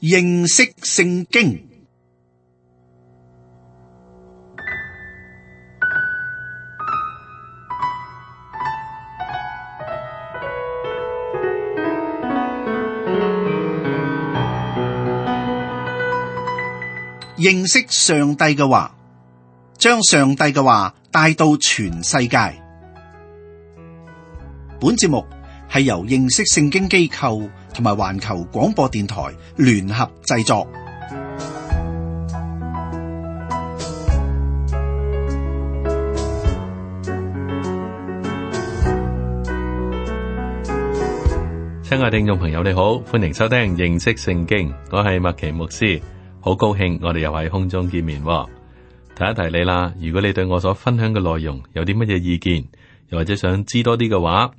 認識聖經。認識上帝嘅話，將上帝嘅話帶到全世界。本節目係由認識聖經機構同埋環球廣播電台聯合製作。親愛聽眾朋友，你好，歡迎收聽認識聖經，我係麥奇牧師，好高興我哋又喺空中見面。提一提你啦，如果你對我所分享嘅內容有啲乜嘢意見，又或者想知多啲嘅話，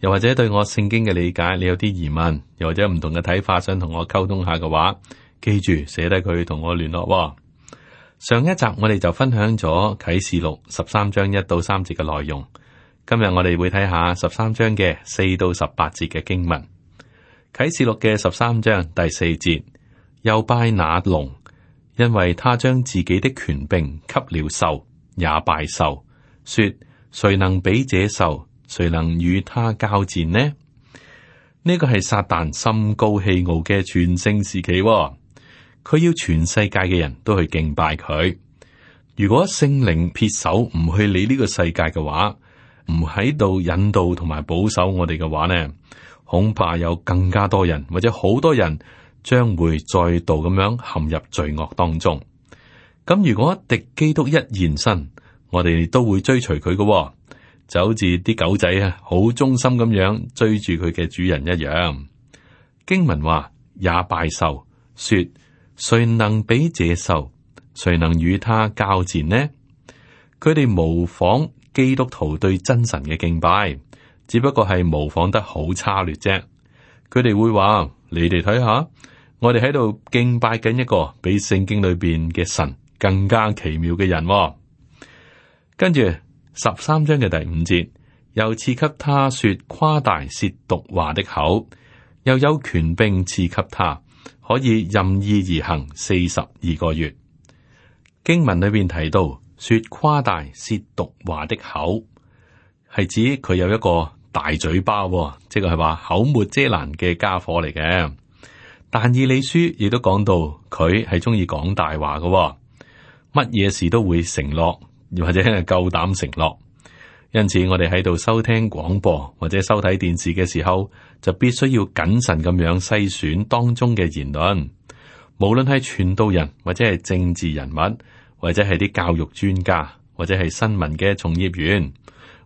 又或者對我聖經嘅理解你有啲疑問，又或者唔同嘅睇法想同我溝通下嘅話，記住寫低佢同我聯絡。上一集我哋就分享咗啟示錄13章1到3節嘅內容，今日我哋會睇下13章嘅4到18節嘅經文。啟示錄嘅13章第4節，又拜那龍，因為他將自己的權柄給了獸，也拜獸，說：誰能比這獸？誰能與他交戰呢？呢個係撒旦心高氣傲嘅全盛時期，佢要全世界嘅人都去敬拜佢。如果聖靈撇手唔去理呢個世界嘅話，唔喺度引導同埋保守我哋嘅話呢，恐怕有更加多人或者好多人將會再度咁樣陷入罪惡當中。咁如果敵基督一現身，我哋都會追隨佢嘅。就好似啲狗仔啊，好忠心咁樣追住佢嘅主人一樣。經文話也拜獸，說：誰能比這獸？誰能與他交戰呢？佢哋模仿基督徒對真神嘅敬拜，只不過係模仿得好差劣啫。佢哋會話：你哋睇下，我哋喺度敬拜緊一個比聖經裏邊嘅神更加奇妙嘅人。跟住13章嘅第5節，又賜給他說誇大褻瀆話的口，又有權柄賜給他，可以任意而行42個月。經文裏邊提到說誇大褻瀆話的口，係指佢有一個大嘴巴，即係話口沒遮攔嘅家伙嚟嘅。但以理書亦都講到佢係中意講大話嘅，乜嘢事都會承諾，或者係夠膽承諾。因此我哋喺度收聽廣播或者收睇電視嘅時候，就必須要謹慎咁樣篩選當中嘅言論。無論係傳道人或者係政治人物，或者係啲教育專家，或者係新聞嘅從業員，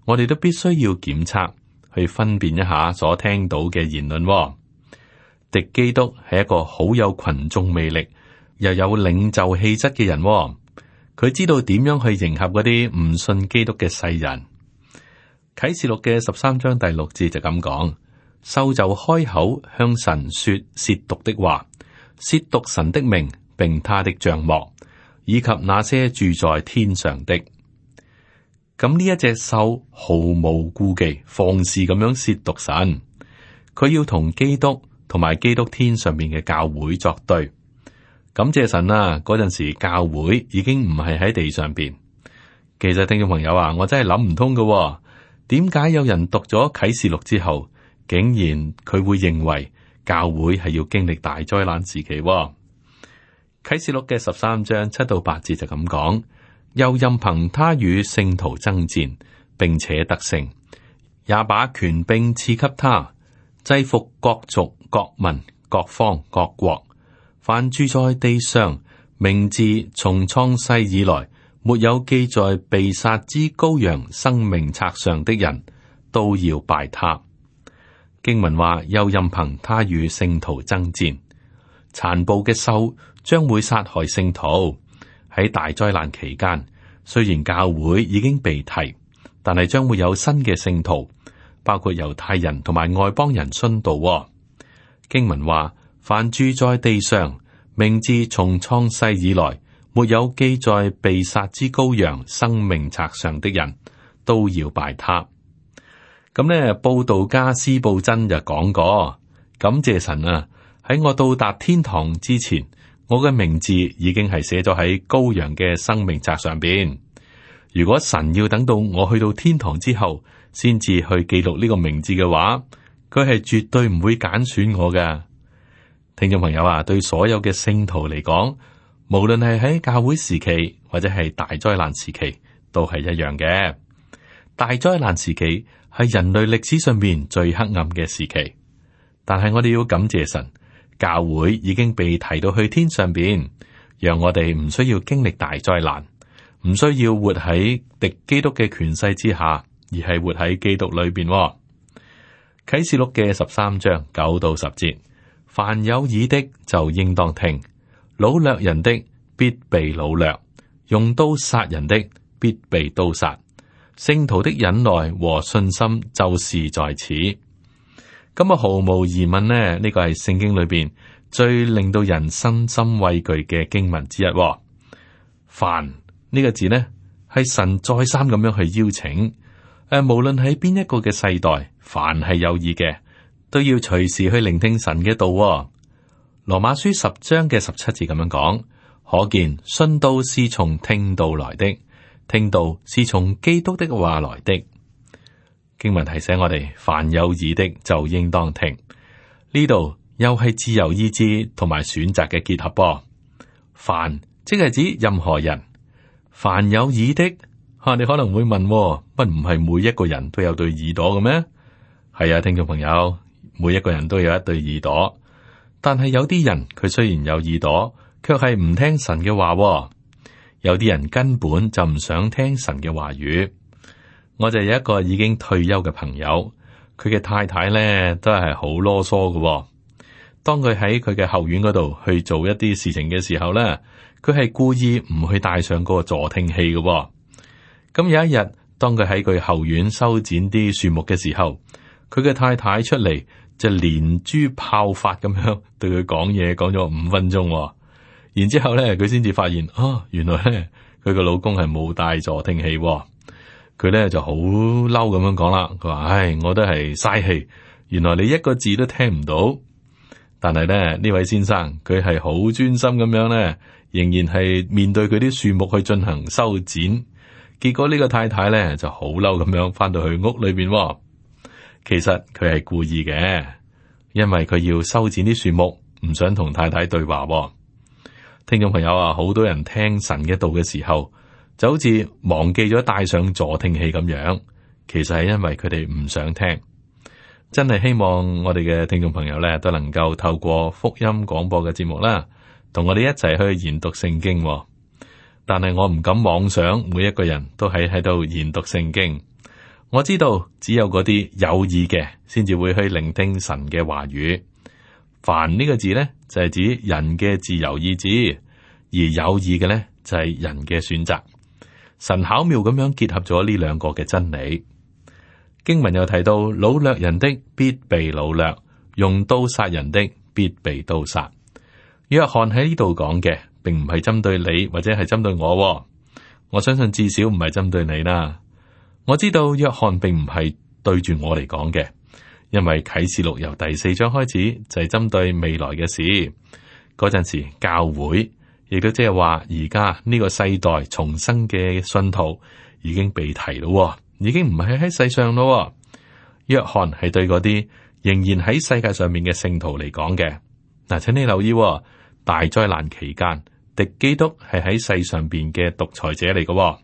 我哋都必須要檢測，去分辨一下所聽到嘅言論。敵基督係一個好有群眾魅力，又有領袖氣質嘅人。佢知道點樣去迎合嗰啲唔信基督嘅世人。啟示錄嘅13章第6節就咁講：獸就開口向神說褻瀆的話，褻瀆神的名，並他的帳幕，以及那些住在天上的。咁呢一隻獸毫無顧忌，放肆咁樣褻瀆神。佢要同基督同埋基督天上面嘅教會作對。感謝神啊！嗰陣時教會已經唔係喺地上邊。其實聽眾朋友啊，我真係諗唔通㗎，點解有人讀咗啟示錄之後，竟然佢會認為教會係要經歷大災難時期？啟示錄嘅13章7到8節就咁講：又任憑他與聖徒爭戰，並且得勝，也把權柄賜給他，制服各族、各民、各方、各國。凡住在地上，名字從創世以來沒有記在被殺之羔羊生命冊上的人，都要拜他。經文話：又任憑他與聖徒爭戰。殘暴嘅獸將會殺害聖徒。喺大災難期間，雖然教會已經被提，但係將會有新嘅聖徒，包括猶太人同埋外邦人殉道。經文話：凡住在地上，名字從創世以來沒有記在被殺之羔羊生命冊上的人，都要拜他。咁呢，布道家司布真就講過，感謝神啊，喺我到達天堂之前，我嘅名字已經係寫咗喺羔羊嘅生命冊上邊。如果神要等到我去到天堂之後，先至去記錄呢個名字嘅話，佢係絕對唔會揀選我㗎。聽眾朋友啊，對所有嘅聖徒嚟講，無論係喺教會時期或者係大災難時期，都係一樣嘅。大災難時期係人類歷史上面最黑暗嘅時期，但係我哋要感謝神，教會已經被提到去天上邊，讓我哋唔需要經歷大災難，唔需要活喺敵基督嘅權勢之下，而係活喺基督裏邊。啟示錄嘅13章9到10節，凡有耳的就應當聽，擄掠人的必被擄掠，用刀殺人的必被刀殺。聖徒的忍耐和信心就是在此。咁啊，毫無疑問呢個係聖經裏邊最令到人身心畏懼嘅經文之一。凡呢個字呢，係神再三咁樣去邀請，無論喺邊一個嘅世代，凡係有意嘅，都要隨時去聆聽神嘅道。羅馬書10章嘅17節咁樣講，可見信道是從聽道來的，聽道是從基督的話來的。經文提醒我哋，凡有耳的就應當聽。呢度又係自由意志同埋選擇嘅結合噃。凡即係指任何人，凡有耳的，你可能會問，乜唔係每一個人都有對耳朵嘅咩？係啊，聽眾朋友，每一個人都有一對耳朵，但係有啲人佢雖然有耳朵，卻係唔聽神嘅話。有啲人根本就唔想聽神嘅話語。我就有一個已經退休嘅朋友，佢嘅太太咧都係好囉嗦嘅。當佢喺佢嘅後院嗰度去做一啲事情嘅時候咧，佢係故意唔去帶上嗰個助聽器嘅。咁有一日，當佢喺佢後院修剪啲樹木嘅時候，佢嘅太太出嚟就連珠炮發咁樣對佢講嘢，講咗5分鐘。然之後咧，佢先至發現原來咧佢個老公係冇帶助聽器。佢咧就好嬲咁樣講啦，佢話：我都係嘥氣，原來你一個字都聽唔到。但係咧呢位先生佢係好專心咁樣咧，仍然係面對佢啲樹木去進行修剪。結果呢個太太咧就好嬲咁樣翻到去屋裏邊。其實佢係故意嘅，因為佢要修剪啲樹木，唔想同太太對話。聽眾朋友啊，好多人聽神嘅道嘅時候，就好似忘記咗帶上助聽器咁樣，其實係因為佢哋唔想聽。真係希望我哋嘅聽眾朋友咧都能夠透過福音廣播嘅節目啦，同我哋一齊去研讀聖經。但係我唔敢妄想每一個人都喺度研讀聖經。我知道只有嗰啲有意嘅先至會去聆聽神嘅話語。凡呢個字呢，就係指人嘅自由意志，而有意嘅呢，就係人嘅選擇。神巧妙咁樣結合咗呢兩個嘅真理。經文又提到，擄掠人的必被擄掠，用刀殺人的必被刀殺。約翰喺呢度講嘅，並唔係針對你或者係針對我。我相信至少唔係針對你啦。我知道約翰並唔係對住我嚟講嘅。因為啟示錄由第4章開始就係針對未來嘅事，嗰陣時教會亦都即係話而家呢個世代重生嘅信徒已經被提咯，已經唔係喺世上咯。約翰係對嗰啲仍然喺世界上面嘅聖徒嚟講嘅。嗱，請你留意，大災難期間，敵基督係喺世上邊嘅獨裁者嚟嘅，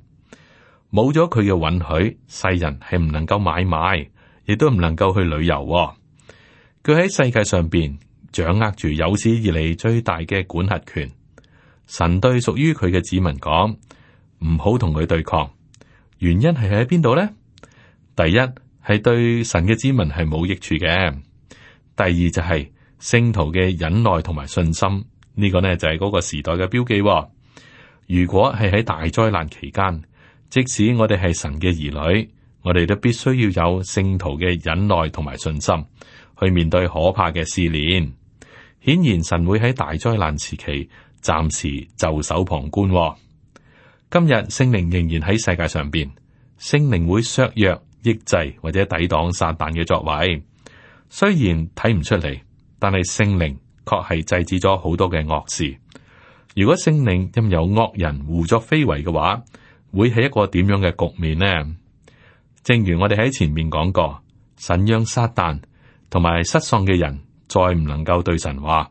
冇咗佢嘅允許，世人係唔能夠買賣。亦都唔能夠去旅遊。佢喺世界上邊掌握住有史以嚟最大嘅管轄權。神對屬於佢嘅子民講，唔好同佢對抗。原因係喺邊度呢？第一係對神嘅子民係冇益處嘅。第二就係聖徒嘅忍耐同埋信心，呢個呢就係嗰個時代嘅標記。如果係喺大災難期間，即使我哋係神嘅兒女，我哋都必須要有聖徒嘅忍耐同埋信心，去面對可怕嘅試煉。顯然神會喺大災難時期暫時袖手旁觀。今日聖靈仍然喺世界上邊，聖靈會削弱、抑制或者抵擋撒旦嘅作為。雖然睇唔出嚟，但係聖靈確係制止咗好多嘅惡事。如果聖靈任由惡人胡作非為嘅話，會係一個點樣嘅局面呢？正如我哋喺前面講過，神讓撒旦同埋失喪嘅人再唔能夠對神話，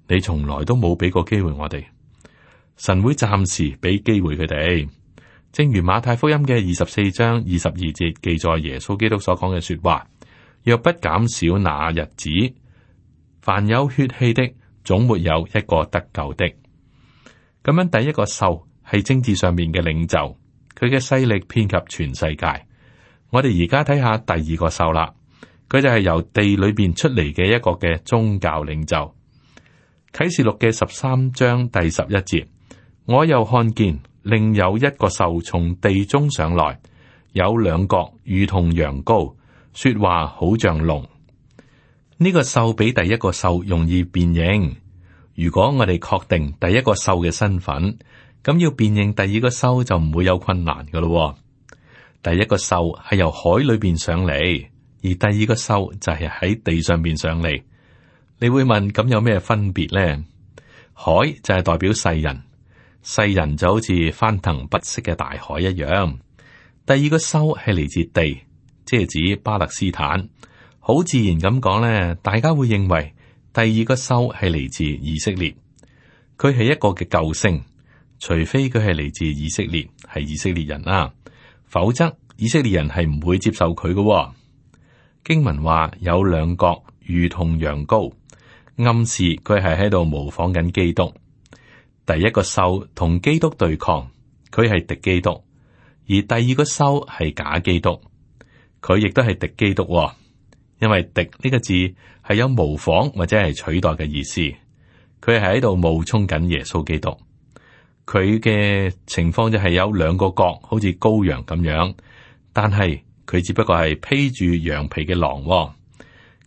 你從來都冇俾過機會我哋。神會暫時俾機會佢哋。正如馬太福音嘅24章22節記載耶穌基督所講嘅說話，若不減少那日子，凡有血氣的總沒有一個得救的。咁樣第一個獸係政治上面嘅領袖，佢嘅勢力遍及全世界。我哋而家睇下第二個獸啦，佢就係由地裏邊出嚟嘅一個嘅宗教領袖。啟示錄嘅13章第11節，我又看見另有一個獸從地中上來，有兩角如同羊羔，說話好像龍。呢個獸比第一個獸容易辨認。如果我哋確定第一個獸嘅身份，咁要辨認第二個獸就唔會有困難噶咯。第一個獸係由海裏邊上嚟，而第二個獸就係喺地上邊上嚟。你會問，咁有咩分別呢？海就係代表世人，世人就好似翻騰不息嘅大海一樣。第二個獸係嚟自地，即係指巴勒斯坦。好自然咁講咧，大家會認為第二個獸係嚟自以色列，佢係一個嘅救星，除非佢係嚟自以色列，係以色列人啦，否則以色列人係唔會接受佢嘅。經文話有兩角如同羊羔，暗示佢係喺度模仿緊基督。第一個獸同基督對抗，佢係敵基督；而第二個獸係假基督，佢亦都係敵基督。因為敵呢個字係有模仿或者係取代嘅意思，佢係喺度冒充緊耶穌基督。佢嘅情況就係有兩個角，好似羔羊咁樣，但係佢只不過係披住羊皮嘅狼。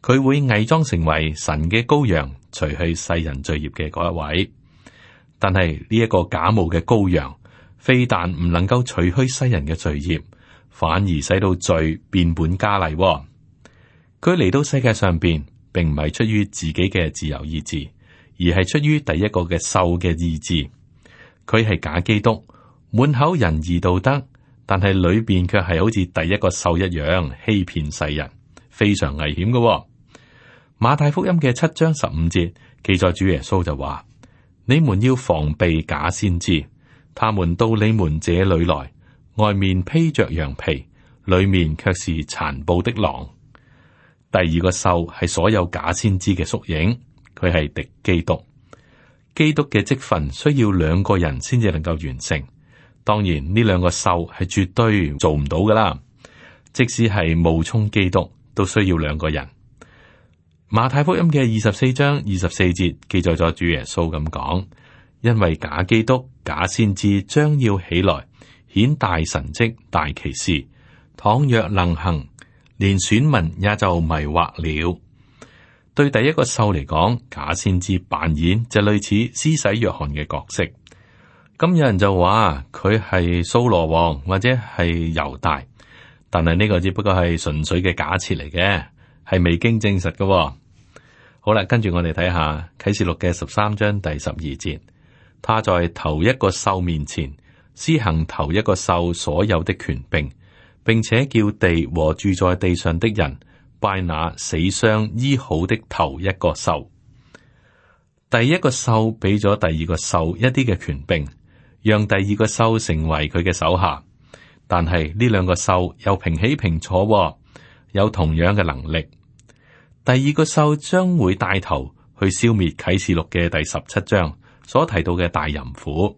佢會偽裝成為神嘅羔羊，除去世人罪孽嘅嗰一位。但係呢一個假冒嘅羔羊，非但唔能夠除去世人嘅罪孽，反而使到罪變本加厲。佢嚟到世界上邊，並唔係出於自己嘅自由意志，而係出於第一個嘅獸嘅意志。佢係假基督，滿口仁義道德，但係裏邊卻係好似第一個獸一樣欺騙世人，非常危險嘅。馬太福音嘅7章15節記載主耶穌就話：你們要防備假先知，他們到你們這裏來，外面披着羊皮，裏面卻是殘暴的狼。第二個獸係所有假先知嘅縮影，佢係敵基督。基督嘅職分需要兩個人先至能夠完成。當然呢兩個獸係絕對做唔到噶啦，即使係冒充基督，都需要兩個人。馬太福音嘅24章24節記載咗主耶穌咁講：因為假基督、假先知將要起來，顯大神蹟、大奇事，倘若能行，連選民也就迷惑了。對第一個獸嚟講，假先知扮演就類似施洗約翰嘅角色。咁有人就話佢係掃羅王或者係猶大，但係呢個只不過係純粹嘅假設嚟嘅，係未經證實嘅。好啦，跟住我哋睇下啟示錄嘅13章第12節，他在頭一個獸面前施行頭一個獸所有的權柄，並且叫地和住在地上的人拜那死傷醫好的頭一個獸。第一個獸俾咗第二個獸一啲嘅權柄，讓第二個獸成為佢嘅手下。但係呢兩個獸又平起平坐，有同樣嘅能力。第二個獸將會帶頭去消滅啟示錄嘅第17章所提到嘅大淫婦。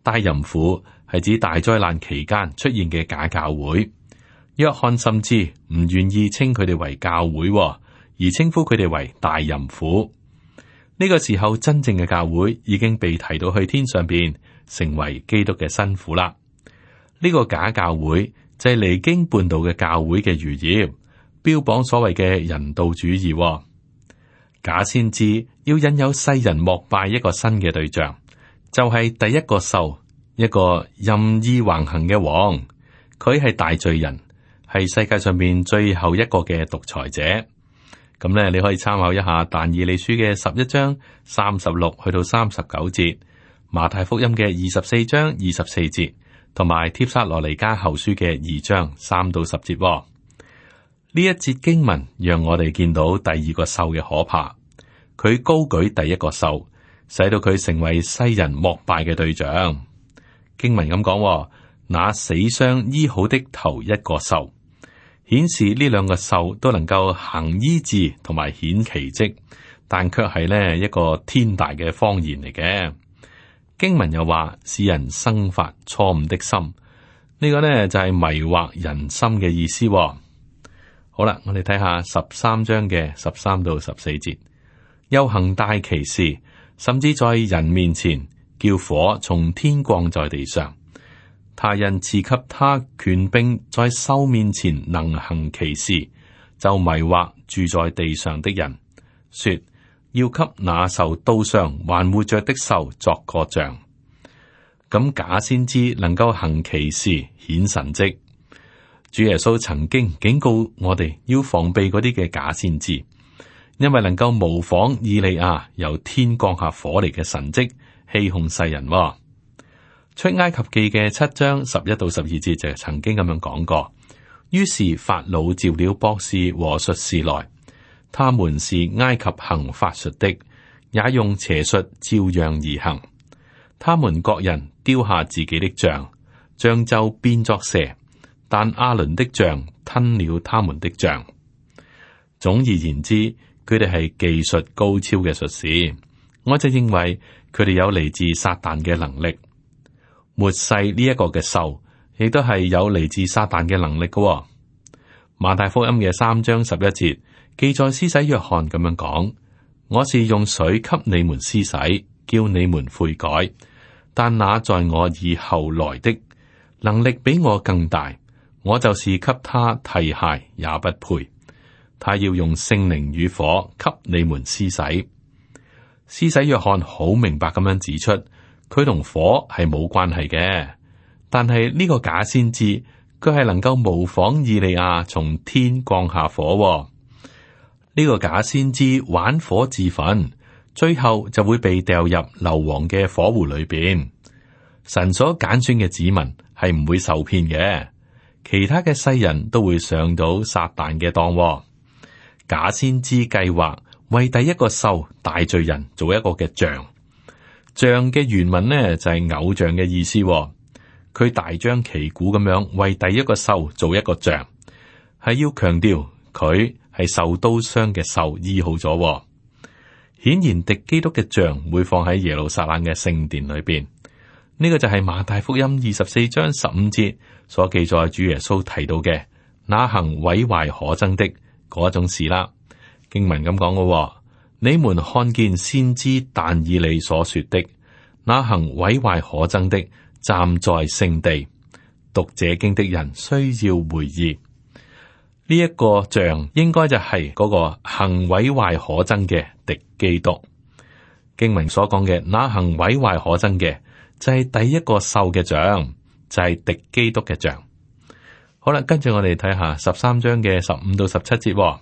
大淫婦係指大災難期間出現嘅假教會。約翰甚至唔願意稱佢哋為教會，而稱呼佢哋為大淫婦。呢個時候，真正嘅教會已經被提到去天上邊，成為基督嘅新婦啦。呢個假教會就係離經叛道嘅教會嘅餘孽，標榜所謂嘅人道主義。假先知要引誘世人膜拜一個新嘅對象，就係第一個獸，一個任意橫行嘅王。佢係大罪人，係世界上面最後一個嘅獨裁者。咁咧，你可以參考一下但以理書嘅11章36去到39節，馬太福音嘅24章24節，同埋帖撒羅尼迦後書嘅2章3到10節。呢一節經文讓我哋見到第二個獸嘅可怕，佢高舉第一個獸，使到佢成為世人膜拜嘅對象。經文咁講，那死傷醫好的頭一個獸，顯示呢兩個獸都能夠行醫治同埋顯奇蹟，但卻係呢一個天大嘅謊言嚟嘅。經文又話，使人生發錯誤的心，呢個呢就係迷惑人心嘅意思。好啦，我哋睇下13章嘅13到14節，又行大奇事，甚至在人面前叫火從天降在地上。他因賜給他權柄，在獸面前能行奇事，就迷惑住在地上的人，說要給那受刀傷還活着的獸作個像。咁假先知能夠行奇事顯神蹟，主耶穌曾經警告我哋要防備嗰啲嘅假先知，因為能夠模仿以利亞由天降下火嚟嘅神蹟，欺哄世人。出埃及記嘅7章11到12節就曾經咁樣講過。於是法老召了博士和術士來，他們是埃及行法術的，也用邪術照樣而行。他們各人丟下自己的杖，杖就變作蛇，但亞倫的杖吞了他們的杖。總而言之，佢哋係技術高超嘅術士。我就認為佢哋有嚟自撒旦嘅能力。末世呢一個嘅獸，亦都係有嚟自撒旦嘅能力嘅。馬太福音嘅3章11節記載，施洗約翰咁樣講：我是用水給你們施洗，叫你們悔改。但那在我以後來的，能力比我更大，我就是給他提鞋也不配。他要用聖靈與火給你們施洗。施洗約翰好明白咁樣指出，佢同火係冇關係嘅，但係呢個假先知，佢係能夠模仿以利亞從天降下火。呢個假先知玩火自焚，最後就會被掉入硫磺嘅火湖裏邊。神所揀選嘅子民係唔會受騙嘅，其他嘅世人都會上到撒旦嘅當。假先知計劃為第一個獸大罪人做一個嘅像。像嘅原文呢就係偶像嘅意思。佢大張旗鼓咁樣為第一個獸做一個像，係要強調佢係受刀傷嘅獸醫好咗。顯然敵基督嘅像會放喺耶路撒冷嘅聖殿裏邊。呢個就係馬太福音24章15節所記載主耶穌提到嘅那行毀壞可憎的嗰種事啦。經文咁講嘅，你們看見先知但以理所說的那行毀壞可憎的站在聖地，讀這經的人需要回憶。呢一個像應該就係嗰個行毀壞可憎嘅敵基督。經文所講嘅那行毀壞可憎嘅就係第一個獸嘅像，就係敵基督嘅像。好啦，跟住我哋睇下13章嘅15到17節，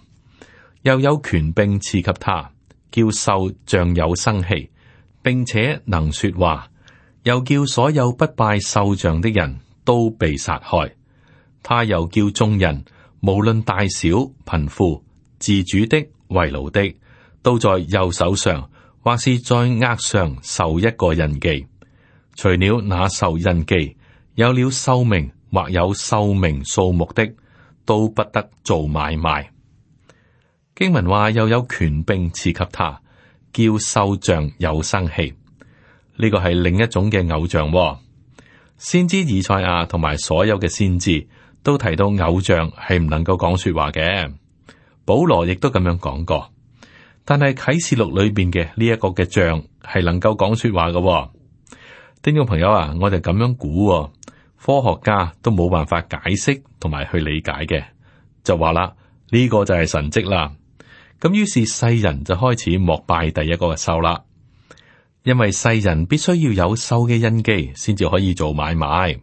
又有權柄賜給他，叫獸像有生氣，並且能說話，又叫所有不拜獸像的人都被殺害。他又叫眾人無論大小、貧富、自主的、為奴的，都在右手上或是在額上受一個印記。除了那受印記，有了獸名或有獸名數目的，都不得做買賣。經文話又有權柄賜給他，叫獸像有生氣。呢個係另一種嘅偶像。先知以賽亞同埋所有嘅先知都提到偶像係唔能夠講說話嘅。保羅亦都咁樣講過。但係啟示錄裏邊嘅呢一個嘅像係能夠講說話嘅。聽眾朋友啊，我哋咁樣估，科學家都冇辦法解釋同埋去理解嘅，就話啦，呢個就係神蹟啦。咁於是世人就開始膜拜第一個嘅獸啦，因為世人必須要有獸嘅印記先至可以做買賣。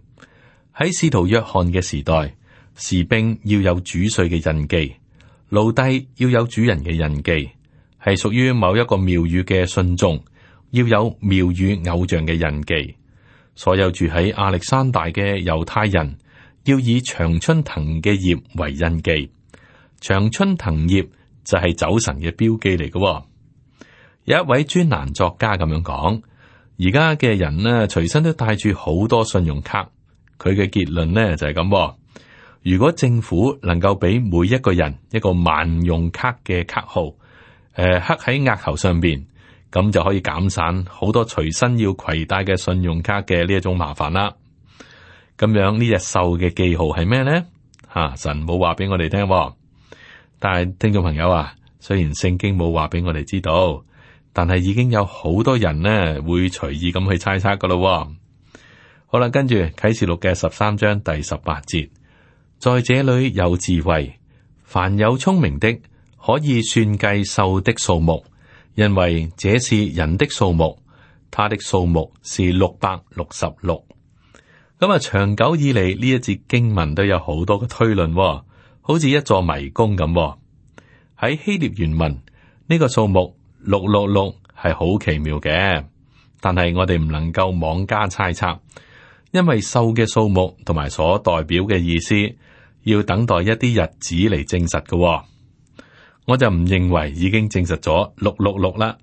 喺使徒約翰嘅時代，士兵要有主帥嘅印記，奴隸要有主人嘅印記，係屬於某一個廟宇嘅信眾要有廟宇偶像嘅印記。所有住喺亞歷山大嘅猶太人要以常春藤嘅葉為印記。常春藤葉就係酒神嘅標記嚟嘅。有一位專欄作家咁樣講，而家嘅人呢，隨身都帶住好多信用卡。佢嘅結論呢就係咁。如果政府能夠俾每一個人一個萬用卡嘅卡號，刻喺額頭上邊，咁就可以減省好多隨身要攜帶嘅信用卡嘅呢一種麻煩啦。咁樣呢隻獸嘅記號係咩呢？神冇話俾我哋聽，但係聽眾朋友啊，雖然聖經冇話俾我哋知道，但係已經有好多人呢會隨意咁去猜測噶咯。好啦，跟住啟示錄嘅13章第18節。在這裏有智慧，凡有聰明的，可以算計獸的數目，因為這是人的數目，他的數目是666。咁長久以嚟呢一節經文都有好多嘅推論，好似一座迷宮咁。喺希臘原文呢個數目666係好奇妙嘅，但係我哋唔能夠妄加猜測，因為獸嘅數目同埋所代表嘅意思，要等待一啲日子嚟證實嘅。我就唔認為已經證實咗666啦。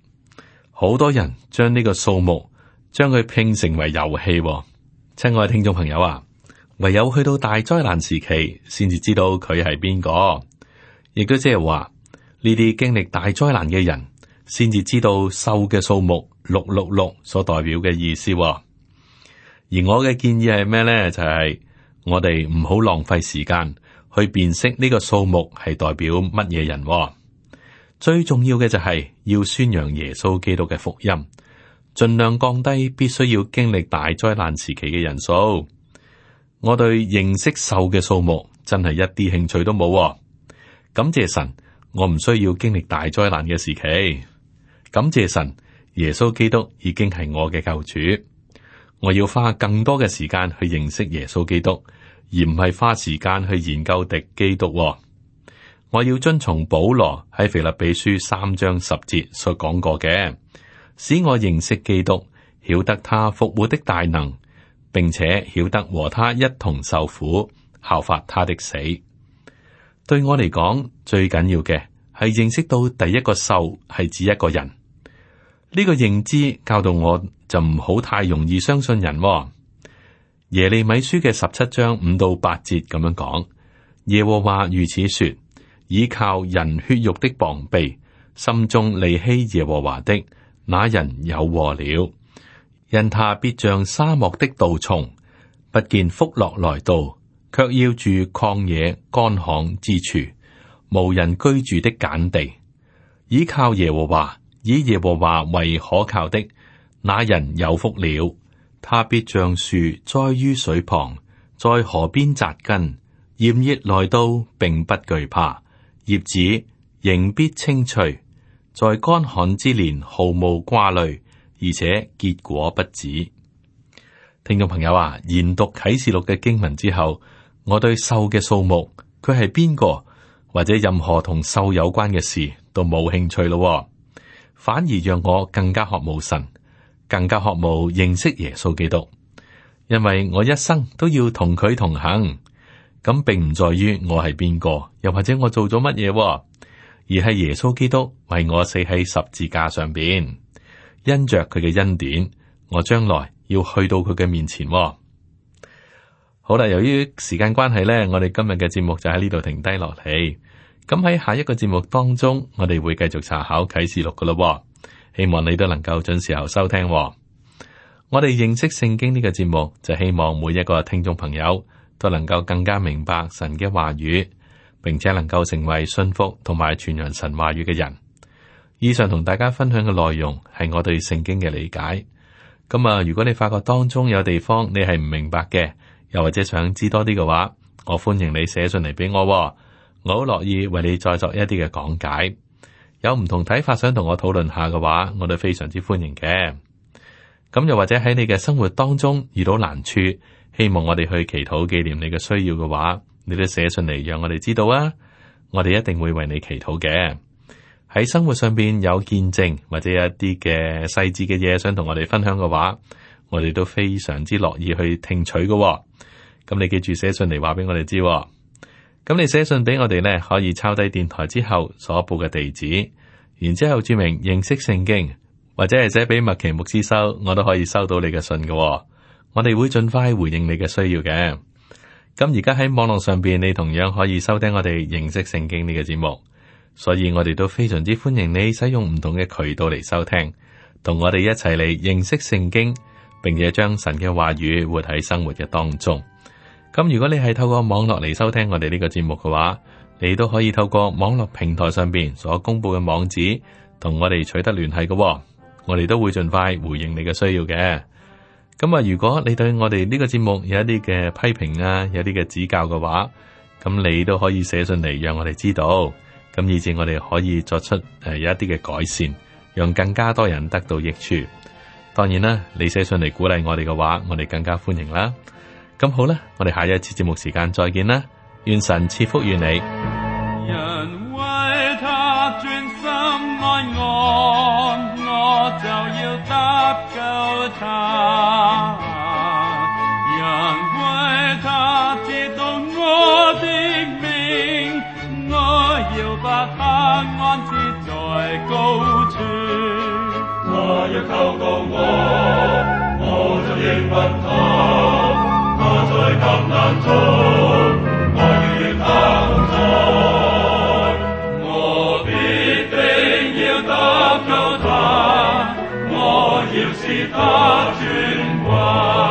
好多人將呢個數目將佢拼成為遊戲。親愛聽眾朋友啊，唯有去到大災難時期，先至知道佢係邊個，亦都即係話呢啲經歷大災難嘅人，先至知道獸嘅數目666所代表嘅意思。而我嘅建議係咩呢？就係我哋唔好浪費時間去辨識呢個數目係代表乜嘢人。最重要嘅就係要宣揚耶穌基督嘅福音，盡量降低必須要經歷大災難時期嘅人數。我對認識獸嘅數目真係一啲興趣都冇。感謝神，我唔需要經歷大災難嘅時期。感謝神，耶穌基督已經係我嘅救主。我要花更多嘅時間去認識耶穌基督，而唔係花時間去研究敵基督。我要遵從保羅喺腓立比書3章10節所講過嘅，使我認識基督，曉得他復活的大能，並且曉得和他一同受苦，效法他的死。對我嚟講，最緊要嘅係認識到第一個獸係指一個人。呢個認知教導我就唔好太容易相信人。耶利米書嘅17章5到8節咁樣講，耶和華如此說：倚靠人血肉的膀臂，心中離棄耶和華的，那人有禍了。因他必像沙漠的杜松，不見福樂來到，卻要住曠野乾旱之處，無人居住的鹼地。倚靠耶和華，以耶和華為可靠的，那人有福了。他必像樹栽於水旁，在河邊扎根，炎熱來到，並不懼怕，葉子仍必青翠，在乾旱之年毫無掛慮，而且結果不止。聽眾朋友啊，研讀啟示錄嘅經文之後，我對獸嘅數目，佢係邊個，或者任何同獸有關嘅事都冇興趣咯，反而讓我更加渴慕神，更加渴慕認識耶穌基督，因為我一生都要同佢同行。咁並唔在於我係邊個，又或者我做咗乜嘢，而係耶穌基督為我死喺十字架上邊，因着佢嘅恩典，我將來要去到佢嘅面前。好啦，由於時間關係呢，我哋今日嘅節目就喺呢度停低落嚟。咁喺下一個節目當中，我哋會繼續查考啟示錄噶咯。希望你都能夠準時候收聽。我哋認識聖經呢個節目，就希望每一個聽眾朋友都能夠更加明白神嘅話語，並且能夠成為信服同埋傳揚神話語嘅人。以上同大家分享嘅內容係我對聖經嘅理解。咁如果你發覺當中有地方你係唔明白嘅，又或者想知多啲嘅話，我歡迎你寫信嚟俾我，我好樂意為你再作一啲嘅講解。有唔同睇法想同我討論下嘅話，我都非常之歡迎嘅。咁又或者喺你嘅生活當中遇到難處，希望我哋去祈禱紀念你嘅需要嘅話，你都寫信嚟讓我哋知道啊。我哋一定會為你祈禱嘅。喺生活上邊有見證或者有一啲嘅細緻嘅嘢想同我哋分享嘅話，我哋都非常之樂意去聽取嘅。咁你記住寫信嚟話俾我哋知。咁你寫信俾我哋呢，可以抄低電台之後所報嘅地址，然之後注明認識聖經，或者係寫俾麥奇牧師收，我都可以收到你嘅信嘅。我哋會盡快回應你嘅需要嘅。咁而家喺網絡上邊，你同樣可以收聽我哋認識聖經呢個節目，所以我哋都非常之歡迎你使用唔同嘅渠道嚟收聽，同我哋一齊嚟認識聖經，並且將神嘅話語活喺生活嘅當中。咁如果你係透過網絡嚟收聽我哋呢個節目嘅話，你都可以透過網絡平台上邊所公布嘅網址同我哋取得聯繫嘅，我哋都會盡快回應你嘅需要嘅。咁啊，如果你對我哋呢個節目有一啲嘅批評啊，有啲嘅指教嘅話，咁你都可以寫信嚟讓我哋知道，咁以至我哋可以作出有一啲嘅改善，讓更加多人得到益處。當然啦，你寫信嚟鼓勵我哋嘅話，我哋更加歡迎啦。咁好啦，我哋下一次節目時間再見啦，願神賜福於你。人為他專心愛我就要得救他；人為他知道我的名，我要把他安置在高處。他若求告我就應允他。他在艱難中，我要與他同在，我必定要得救他，我要使他尊貴。